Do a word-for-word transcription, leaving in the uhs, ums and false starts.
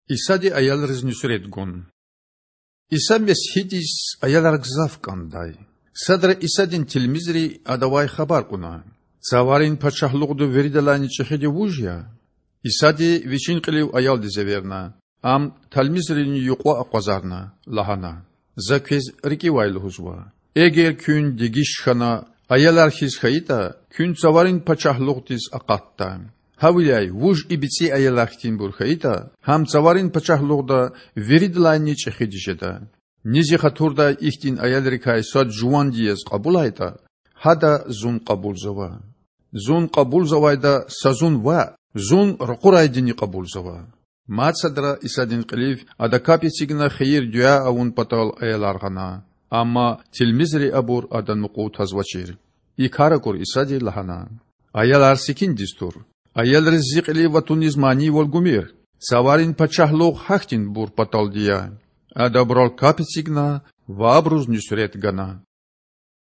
Исади аялриз нуьсрет гун. Иса Месгьидиз аялар гзаф кІандай. Садра Исадин тилмизри Адавай хабар кьуна. Цаварин пачагьлугъда виридалайни чІехиди вуж я? Исади Вичин кьилив аялдиз эверна. Ам, тилмизрини юкьва акъвазарна, лагьана: За квез рикІивай лугьузва: эгер куьн дегиш хьана аялар хьиз хьайитІа, куьн Цаварин пачагьлугъдиз акъатда. Гьавиляй вуж и бицІи аялар хьтинбур хьайитІа, гьам Цаварин пачагьлугъда виридалайни чІехиди жеда. Низ и хатурдай ихьтин аялрикай сад жуванди яз кьабулайтІа, гьада Зун кьабулзава. Зун кьабулзавайда са Зун ваъ, Зун ракъурайдини кьабулзава. Мад садра Исадин кьилив Ада капӀ эцигна хийир-дуьа авун патал аялар гъана. Амма тилмизри абур Адан мукьув тазвачир. И кар акур Исади лагьана: Аялар секиндиз тур. Аялриз Зи кьилив ва туниз манийвал гумир. Цаварин пачагьлугъ гьахьтинбур паталди я. Ада абурал капӀ эцигна ва абуруз нуьсрет гана.